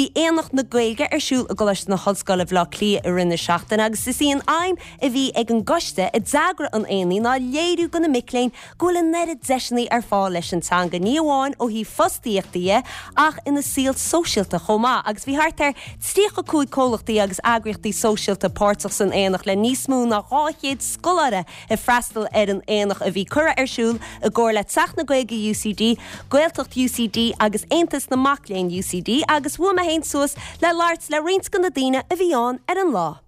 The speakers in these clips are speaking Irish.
Bhí Aonach na Gaeilge ar siúl i gColáiste na hOllscoile Bhaile Átha Cliath i rith na seachtaine agus is í an aidhm a bhí ag an gcoiste a d'eagraigh an aonaigh ná léiriú do na mic léinn go bhfuil an oiread deiseanna ar fáil leis an teanga, ní amháin ó thaobh fostaíochta dhe ach ina saol sóisialta chomh maith agus bhí thart ar 35 comhlachtaí agus eagraíochtaí sóisialta páirteach san aonach le níos mó ná 200 scoláire ag freastal ar an aonach a bhí curtha ar siúl i gcomhar le Teach na Gaeilge UCD, Gaeltacht UCD agus Aontas na Mac Léinn UCD agus bhuail mé féin suas le labhairt le roinnt de na daoine a bhí ann ar an lá.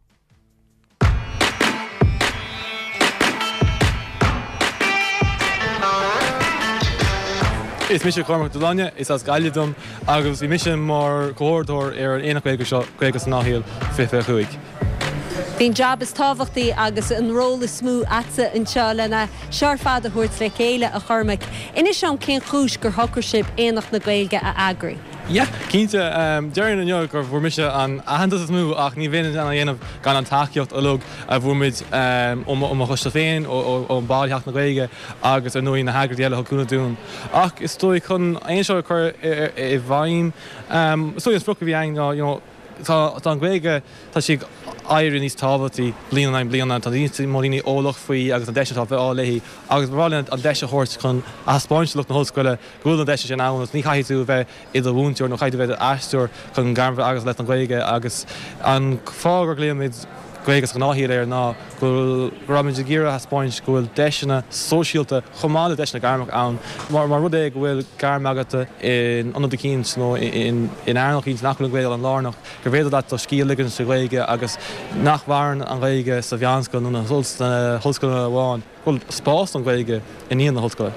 Is mise Cormac Delaine, is as Gaillimh dom agus bhí mise mar chomhordaitheoir ar an Aonach Gaeilge seo, Gaeilge sa nGnáthshaol 2025. Bhí an jab is tábhachtaí agus an ról is mó a'dsa anseo lena seo ar fad a thabhairt le chéile, a Chormaic. Inis dom cén chúis gur shocraigh sibh Aonach na Gaeilge a eagrú? Yeah, cinnte. Déarfainn inniu gur bhfuair mise an aitheantas is mó ach ní bheinn in ann a dhéanamh gan an tacaíocht uilig a bhfuair muid ó mo choiste féin, ó bhaill Theach na Gaeilge agus ar ndóigh na heagraíochtaí eile a thug cúnamh dúinn. Ach is dóigh chun é seo a chur i bhfeidhm, is dóigh an sprioc a bhí againn ná you know tá an Ghaeilge, tá sí ag éirí níos tábhachtaí bliain in aghaidh bliana, tá níos mó daoine eolach faoi agus na deiseanna atá ar fáil léi agus ba bhreá linn an deis a thabhairt chun a thaispeáint do lucht na hollscoile go bhfuil na deiseanna sin ann agus ní chaithfidh tú a bheith i do mhúinteoir nó caithfidh tú a bheith i d'aisteoir chun gairm a bheith agat leis an Ghaeilge agus an fáth gur ghlaoigh muid Gaeilge sa Ghnáthshaol air ná go raibh muid ag iarraidh a thaispeáint go bhfuil deiseanna sóisialta chomh maith le deiseanna gairmeacha ann. Mar rud é go bhfuil gairm agat in ionad eicínt nó in earnáil eicínt nach bhfuil an Ghaeilge an-lárnach, gur féidir leat do scíth a ligean sa Ghaeilge agus nach mhaireann an Ghaeilge sa mheánscoil nó sna hollscoileanna amháin. go bhfuil spás don Ghaeilge i ndiaidh na hollscoile.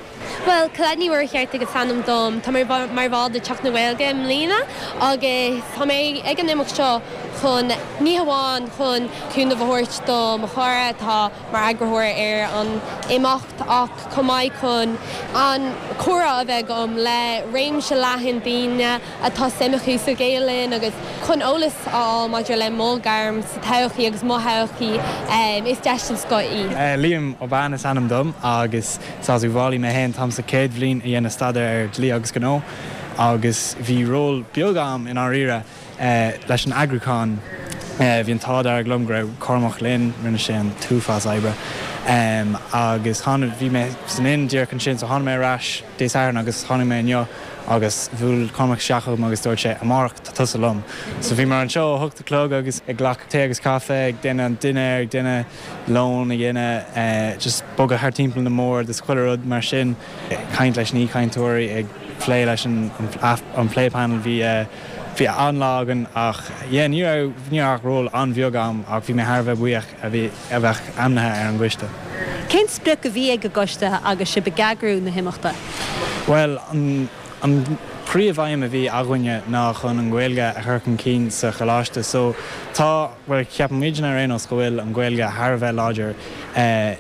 Bhuel, Colette Ní Mhuircheartaigh is ainm dom. Tá mé mar bhall de Teach na Gaeilge i mbliana agus tá mé ag an imeacht seo chun, ní hamháin chun cúnamh a thabhairt do mo chara atá mar eagraitheoir ar an imeacht ach chomh maith chun an comhrá a bheith agam le réimse leathan daoine atá suim acu sa Ghaelainn agus chun eolas a fháil maidir le mo ghairm sa todhchaí agus mo thodhchaí, is deis den scoth í. Liam Ó Bean is ainm dom agus is as Uíbh Fhailí mé féin. Táim sa chéad bhliain ag déanamh staidéar ar Dlí agus Gnó agus bhí ról beag a'm i ndáiríre leis an eagrúchán. Bhí an t-ádh dearg liom go raibh Cormac linn, rinne sé an t-uafás oibre agus tháinig, bhí mé san Ind díreach ansin so tháinig mé ar ais Dé Sathairn agus tháinig mé inniu agus bhuail Cormac isteach chugam agus dúirt sé, 'Amárach tá tusa liom'. So bhíomar anseo ó hocht a chlog agus ag glacadh tae agus caife, ag déanamh an dinnéar, ag déanamh lón a dhéanamh, just bogadh thart timpeall na mbord is chuile rud mar sin, ag caint leis na haoichainteoirí, ag plé leis an an plé panel. Bhí bhí an-lá againn ach yeah ní raibh ní raibh ach ról an-bheag a'm ach bhí mé thar a bheith buíoch a bhí a bheith ainmnithe ar an gcoiste. Cén sprioc a bhí ag an gcoiste agus sibh ag eagrú na himeachta? Bhuel, an an príomh-aidhm a bhí againne ná chun an Ghaeilge a chur chun cinn sa choláiste. So tá, bhuel ceapann muidne ar aon nós go bhfuil an Ghaeilge thar a bheith láidir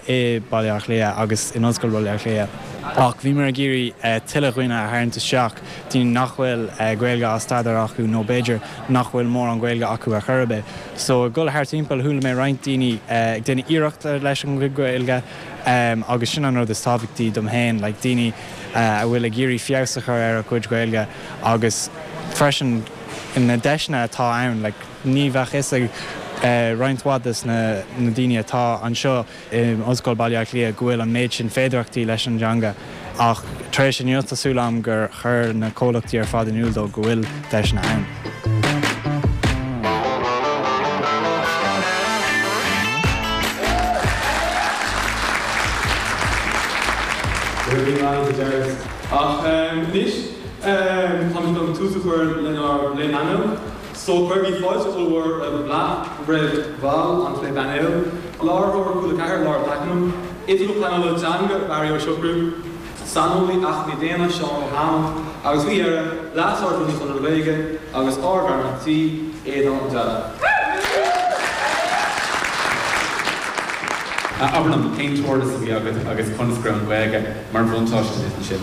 i Baile Átha Cliath agus in Ollscoil Bhaile Átha Cliath. Ach bhíomar ag iarraidh tuilleadh dhaoine a tharraingt isteach, daoine nach bhfuil Gaeilge á staidéar acu nó b'fhéidir nach bhfuil mórán Gaeilge acu ar chor ar bith. So ag dul thart timpeall chuala mé roinnt daoine ag déanamh iarracht leis an Ghaeilge agus sin an rud is tábhachtaí dom féin, like daoine a bhfuil ag iarraidh feabhas a chur ar a gcuid Gaeilge agus freisin na deiseanna atá ann, like ní bheadh fhios ag roinnt mhaith des na daoine atá anseo in Ollscoil Baile Átha Cliath go bhfuil an méid sin féidearthachtaí leis an dteanga ach tar éis inniu tá súil agam gur chuir na comhlachtaí ar fad in iúl dóibh go bhfuil deiseanna ann. Go raibh maith agat a Jared. Ach anois táimid chun tús a chur lenár bplé painéil. So cuirigí fáilte ollmhór roimh roimh bhaill an phlé painéil, Láithreoir Cúla 4 Laura Pakenham, Oifigeach Pleanála Teanga Barry Ó Siochrú, Saineolaí Acmhainní Daonna Seán Ó hAdhmaill agus faoi dheireadh, Leas-Ard-Rúnaí Chonradh na Gaeilge agus ár bhfear an tí, Aodán Ó Dealbhna. Abair liom, cén tabhartas a bhí agat agus conas go raibh an Ghaeilge mar bhuntáiste duit ansin?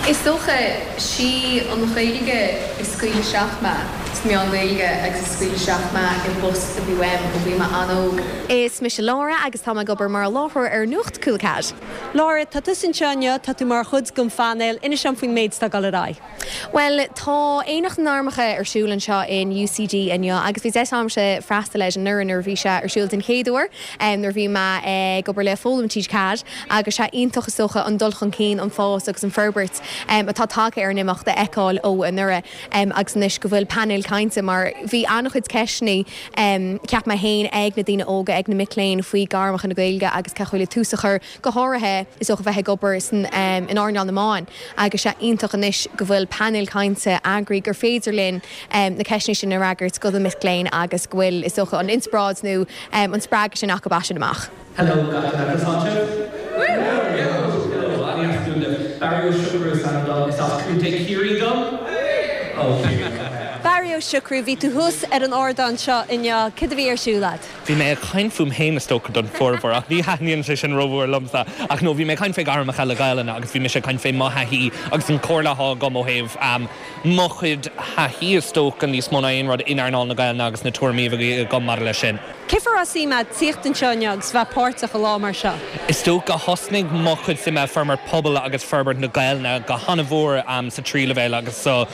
Is dócha, sí an Ghaeilge a scaoil isteach mé. sna meáin Ghaeilge agus a scaoil isteach mé i bpost a bhí uaim ó bhí mé an-óg. Is mise Laura agus tá mé ag obair mar láithreoir ar Nuacht Cúla 4. Laura, tá tusa anseo inniu, tá tú mar chuid den phainéal, inis dom faoin méid atá ag dul ar aghaidh. Bhuel, tá Aonach na nGairmeacha ar siúl anseo in UCD inniu agus bhí deis agamsa freastal air anuraidh nuair a bhí sé ar siúl den chéad uair, nuair a bhí mé ag obair le Foghlaim TG4 agus sé iontach is dócha an dul chun cinn, an fás agus an forbairt atá tagtha ar an imeacht a fheiceáil ó anuraidh agus anois go bhfuil painéal cainte mar bhí an-chuid ceisteanna cheap mé féin ag na daoine óga, ag na mic léinn faoi gairmeacha na Gaeilge agus cén chaoi le tús a chur go háirithe is dócha bheith ag obair san in earnáil na meáin agus sé iontach anois go bhfuil painéal cainte eagraithe gur féidir linn na ceisteanna sin a fhreagairt do na mic léinn agus go bhfuil is dócha an inspioráid nó an spreagadh sin acu as sin amach. Hello gach duine conas tánn sibh? Hello an-deas bualadh libh. Barry Ó Siochrú is ainm dom, is as Contae Ciarraí dom. Ó Ciarraí. Barry Ó Siochrú, bhí tú thuas ar an ardán seo inniu, cad a bhí ar siúl agat? Bhí mé ag caint fúm féin is dócha don fhormhór ach ní thaitníonn sé sin rómhór liomsa. Ach no, bhí mé ag caint fé ghairmeacha le Gaelainn agus bhí mise ag caint fé mo thaithí agus an chomhairle atá agam ó thaobh mo chuid thaithí is dócha níos mó ná aon rud in earnáil na Gaelainne agus na tuairimí a bhí agam maidir leis sin. Cén fáth a raibh suim agat tíocht anseo inniu agus bheith páirteach i lá mar seo? Is dócha thosnaigh mo chuid suime i forbairt pobail agus forbairt na Gaelainne go han-mhór sa tríú leibhéal agus sa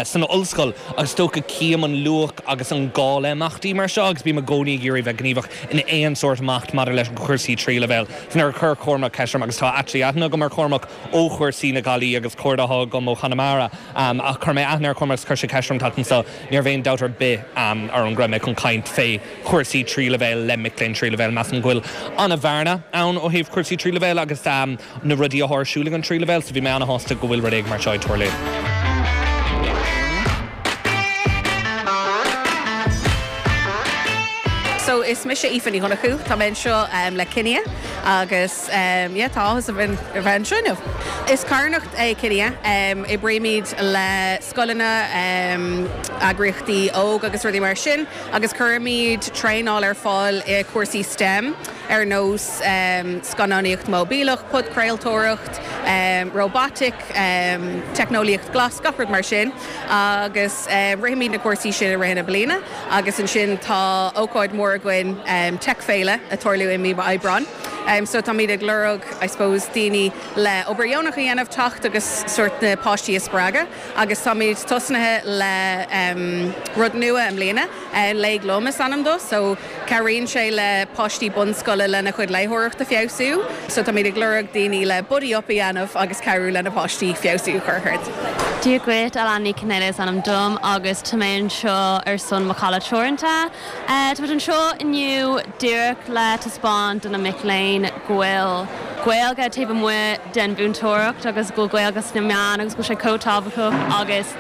san ollscoil agus is dócha cím an luach agus an gá le imeachtaí mar seo agus bím i gcónaí ag iarraidh bheith gníomhach in aon sórt imeacht maidir le cúrsaí tríú leibhéal. So nuair a chuir Cormac ceist orm agus tá actually aithne agam ar Chormac ó chúrsaí na Gailí agus cairde atá agam ó Chonamara ach chuir mé aithne ar Chormac agus chuir sé ceist orm teacht anseo ní raibh aon dabht ar bith orm go raibh mé chun caint fé chúrsaí tríú leibhéal le mic léinn tríú leibhéal. Measaim go bhfuil an-bhearna ann ó thaobh cúrsaí tríú leibhéal agus na rudaí atá ar siúl ag an tríú leibhéal so bhí mé an-shásta go bhfuil rud éigin mar seo ag tarlú. So is mise Aoife Ní Dhonnchú, tá mé anseo le Kinia agus yeah tá áthas orm a bheith anseo inniu. Is carthanacht é Kinia, oibrímid le scoileanna, eagraíochtaí óg agus rudaí mar sin agus cuirimid traenáil ar fáil i cúrsaí STEM. ar nós scannánaíocht móibíleach, podchraoltóireacht, róbataic, teicneolaíocht ghlas, gach rud mar sin. Agus rithimid na cúrsaí sin i rith na bliana agus ansin tá ócáid mhór againn, Tech Féile, ag tarlú i mí Aibreáin. So táimid ag lorg, I suppose, daoine le obair dheonach a dhéanamh, teacht agus sórt na páistí a spreagadh agus táimid tosnaithe le rud nua i mbliana, Léigh Liom is ainm dó. So. Cabhraíonn sé le páistí bunscoile lena chuid léitheoireacht a feabhsú. So táimid ag lorg daoine le buddy up a dhéanamh agus cabhrú le na páistí feabhsú a chur ort. Dia dhuit, Alana Ní Chonghaile is ainm dom agus tá mé anseo ar son Macalla Teoranta. Tá muid anseo inniu díreach le taispeáint do na mic léinn go bhfuil Gaeilge taobh amuigh den mhúinteoireacht agus go bhfuil Gaeilge sna meáin agus go bhfuil sé chomh tábhachtach agus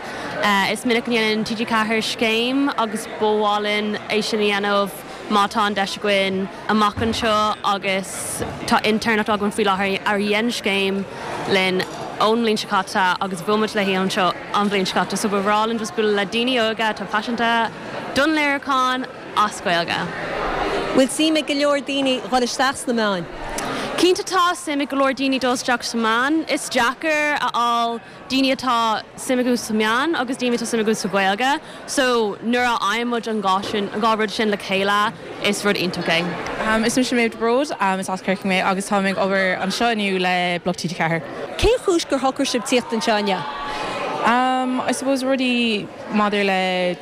Is minic go ndéanann TG4 scéim agus ba mhaith linn é sin a dhéanamh má tá an deis againn amach anseo agus tá intéirneacht againn faoi láthair a dhein scéim linn ón mbliain seo caite agus bhuail muid léi anseo an bhliain seo caite so ba bhreá linn just bualadh le daoine óga atá paiseanta don léiriúchán as Gaeilge. Bhfuil suim ag go leor daoine dhul isteach sna meáin? Cinnte tá suim ag go leor daoine dul isteach sna meáin. Is deacair a fháil daoine atá suim acu sa meáin agus daoine atá suim acu sa Ghaeilge so nuair a fhaigheann muid an dhá sin, an dhá rud sin le chéile is rud iontach é. Is mise Méabh de Bród, is as Corcaigh mé agus táim ag obair anseo inniu le Bloc TG4. Cén chúis gur shocraigh sibh tíocht anseo inniu? I suppose rudaí maidir le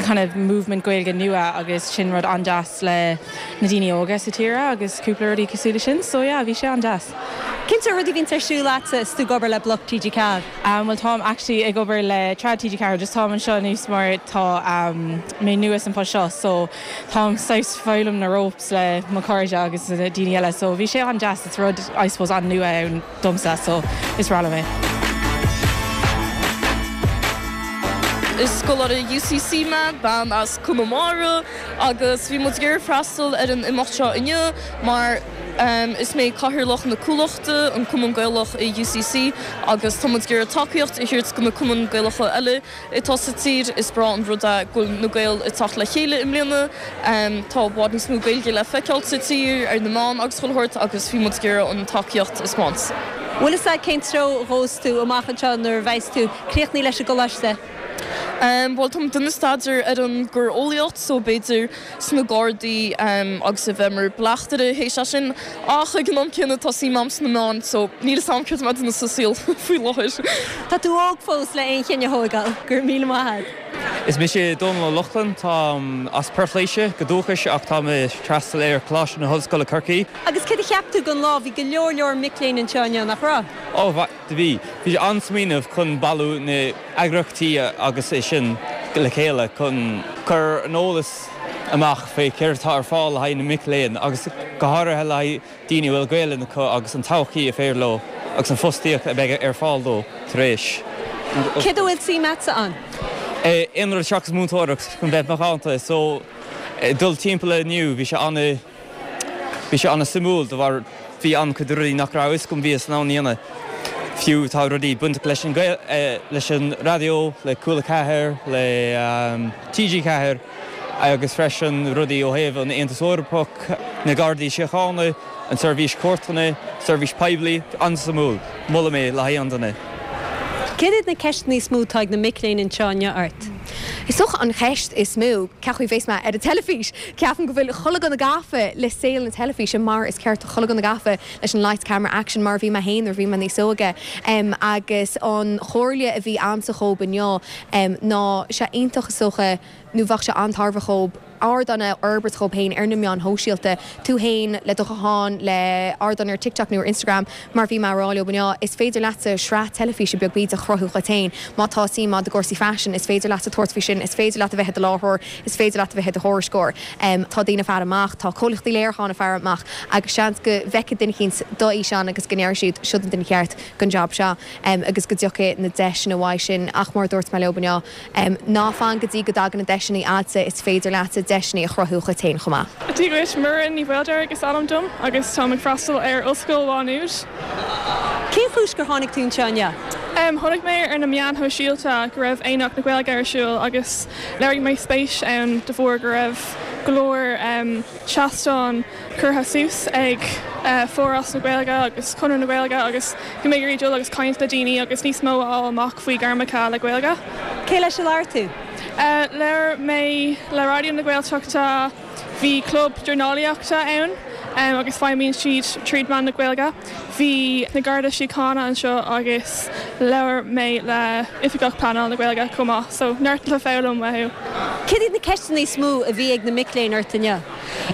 kind of movement Gaeilge nua agus sin rud an-deas le na daoine óga sa tír agus cúpla rudaí cosúil le sin so yeah bhí sé an-deas. Cén sórt rudaí a bhíonns ar siúl agatsa is tú ag obair le Bloc TG4? Bhuel táim actually ag obair le Trad TG4 just táim anseo anois mar tá mé nua san post seo so táim saghas foghlaim na ropes le mo chairde agus na daoine eile so bhí sé an-deas it's rud I suppose an-nua ann domsa so is breá liom é. Is scoláire UCC mé, bean as Conamara agus bhí muid ag iarraidh freastal ar an imeacht seo inniu mar Is mé Cathaoirleach na Cuallachta, an Cumann Gaelach i UCC, agus tá muid ag iarraidh tacaíocht a thabhairt do na cumainn Gaelacha eile atá sa tír. Is breá an rud é go bhfuil na Gaeil ag teacht le chéile i mbliana. Tá i bhfad níos mó Gaeilge le feiceáil sa tír, ar na meáin agus chuile shórt agus bhí muid ag iarraidh an tacaíocht a 'speáint. Bhfuil fhios agat cén treo a ghabhfas tú amach anseo nuair a bheas tú críochnaithe leis an gcoláiste? Bhuel, táim ag déanamh staidéar ar an gcoireolaíocht so b'fhéidir sna Gardaí agus a bheith mar bleachtaire théis é sin ach ag an am céanna tá suim agam sna meáin so níl fhios agam céard atá mé ag déanamh sa saol faoi láthair. Tá tú óg fós le aon chinneadh a thógáil. Go raibh míle maith agat. Is mise Dónal Ó Lochlainn, táim as Port Laoise go dúchais ach táim ag freastal ar Choláiste na hOllscoile Corcaigh. Agus céard a cheap tú den lá? Bhí go leor leor mic léinn anseo inniu, nach raibh? Ó, do bhí. Bhí sé an-smaoineamh chun bailiú na eagraíochtaí agus é sin le chéile chun cur an eolas amach fé céard atá ar fáil le haghaidh na mic léinn agus go háirithe le haghaidh daoine a bhfuil Gaelainn acu agus an todhchaí a féidir leo agus an fostaíocht a bheidh ar fáil dó tar éis. Céard a bhfuil suim agatsa ann? Aon rud seachas múinteoireacht chun bheith macánta so dul timpeall inniu bhí sé ana Bhí sé an-suimiúil de bharr bhí an-chuid rudaí nach raibh a fhios agam bhíos in ann a dhéanamh. Fiú tá rudaí bainteach leis an leis an raidió, le Cúla 4, le TG4 agus freisin rudaí ó thaobh an Aontas Eorpach, na Gardaí Síochána, an tSeirbhís Cúirteanna, seirbhís poiblí. An-suimiúil. Molaim é le haghaidh aon duine. Céard iad na ceisteanna is mó atá ag na mic léinn anseo inniu ort? Is dócha an cheist is mó, cén chaoi bheas mé ar an teilifís? Ceapaim go bhfuil chuile dhuine gafa le saol na teilifíse mar is ceart do chuile dhuine gafa leis an lights, camera, action mar a bhí mé féin nuair a bhí mé níos óige. Agus an chomhairle a bhí a'msa dhób inniu ná sé iontach is dócha nó bheadh sé an-tairbheach dhób, ardán a fhorbairt dhób féin ar na meáin shóisialta, tú féin le do ghuthán, le ardán ar TikTok nó ar Instagram, mar bhí mé a rá leo inniu, is féidir leatsa sraith teilifíse beag bídeach a chruthú dhuit féin. Má tá suim agat i gcúrsaí faisin, is féidir leatsa tabhairt faoi sin, is féidir leat a bheith i do láithreoir, is féidir leat a bheith i do thuairisceoir. Tá daoine ag faire amach, tá comhlachtaí léiriúcháin ag faire amach agus seans go bhfeicfidh duine eicínt do fhíseán agus go ndéarfaidh siad, siod an duine ceart don jab seo agus go dtiocfaidh na deiseanna uaidh sin. Ach mar a dúirt mé leo inniu, Ná fan go dtí go dtagann na deiseanna a'dsa, is féidir leatsa deiseanna a chruthú dhuit féin chomh maith. Dia dhuit, Muireann Ní Mhaoldeirg is ainm dom agus táim ag freastal ar Ollscoil Mhá Nuad. Cén chúis gur tháinig tú anseo inniu? Chonaic mé ar na meáin shóisialta go raibh Aonach na Gaeilge ar siúl agus léirigh mé spéis ann de bharr go raibh go leor seastáin curtha suas ag Foras na Gaeilge agus Conradh na Gaeilge agus bhí mé ag iarraidh dul agus caint le daoine agus níos mó a fháil amach faoi gairmeacha le Gaeilge. Cé leis a labhair tú? Labhair mé le Raidió na Gaeltachta, bhí club dornálaíochta ann agus feidhmíonn siad tríd meán na Gaeilge. Bhí na Garda Síochána anseo agus labhair mé le Oifigeach Pleanála na Gaeilge chomh maith, so neart le foghlaim uathu. Céard iad na ceisteanna is mó a bhí ag na mic léinn ort inniu?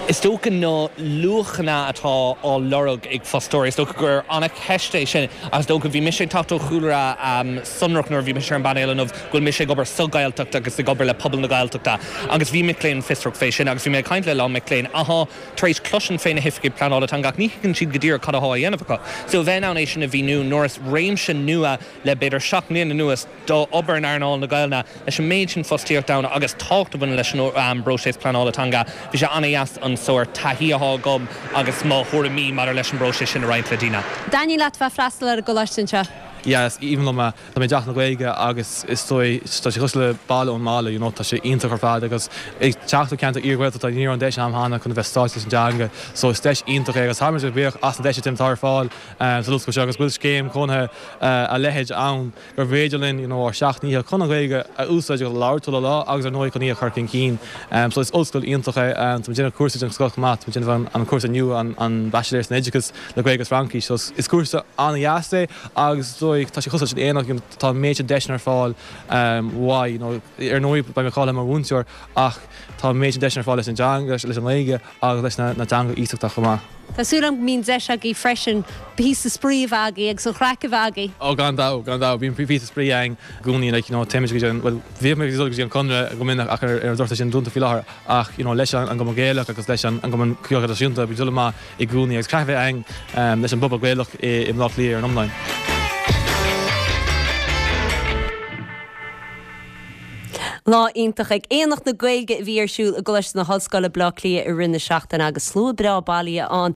Is dócha na luachanna atá á lorg ag fostóirí, is dócha gur an-cheist é sin agus is dócha, bhí mise ag teacht ó chúlra sonrach nuair a bhí mise ar an bpainéal inniu, go bhfuil mise ag obair sa Ghaeltacht agus ag obair le pobal na Gaeltachta agus bhí mic léinn fiosrach fé sin agus bhí mé ag caint le a lán mic léinn athá tar éis cloisint fé na hoifigigh pleanála teanga ach ní thuigeann siad go díreach cad athá á dhéanamh acu. So a bheith in ann é sin a mhíniú nuair is réimse nua le b'fhéidir 7 mbliana anuas d'obair in earnáil na Gaelainne leis an méid sin fostaíocht ann agus tábhacht a bhaineann leis an bpróiseas pleanála teanga, bhí sé an-dheas an sórt taithí athá agam agus mo thuairimí maidir leis an bpróiseas sin a roinnt le daoine. An dtaitníonn leat bheith ag freastal ar an gcoláiste anseo? Yeah, is aoibhinn liom é. Tá mé i dTeach na Gaeilge agus is dóigh, tá sé cosúil le baile ón mbaile, you know, tá sé iontach ar fad agus ag teacht ó cheantar iar-Ghaeltachta ní raibh an deis a'm cheana chun a bheith sáite leis an dteanga so is deis iontach é agus táimid buíoch as na deiseanna atá ar fáil san ollscoil seo agus go bhfuil scéim chónaithe a leithéid ann gur féidir linn you know ár seacht ndícheall chun an Ghaeilge a úsáid agus a labhairt chuile lá agus ar ndóigh chun í a chur chun cinn. So is ollscoil iontach é. Tá mé ag déanamh cúrsa den scoth chomh maith, tá mé ag déanamh an cúrsa nua an Baitsiléir san Oideachas le Gaeilge agus Fraincis so is cúrsa an-dheas é agus is dóigh tá sé cosúil leis an Aonach you know tá an méid sin deiseanna ar fáil uaidh you know ar ndóigh beidh mé cáilithe mar mhúinteoir ach tá an méid sin deiseanna ar fáil leis an dteanga leis an nGaeilge agus leis na teangacha iasachta chomh maith. Tá súil agam go mbíonn deis agaibh freisin píosa spraoi a bheith agaibh agus an chraic a bheith agaibh. Ó gan dabht, gan dabht. Bíonn píosa spraoi againn i gcónaí like you know téimid go dtí an, bhuel bhíodh muid ag dul go dtí an Conradh go minic ach ar an drochuair tá sin dúnta faoi láthair ach you know leis an gCumann Gaelach agus leis an gCumann Ceoil Traidisiúnta bíonn dul amach i gcónaí agus craic a bheith againn leis an bpobal Gaelach i mBaile Átha Cliath ar an iomlán. Lá iontach ag Aonach na Gaeilge a bhí ar siúl i gColáiste na hOllscoile, Baile Átha Cliath i rith na seachtaine agus slua breá bailithe ann.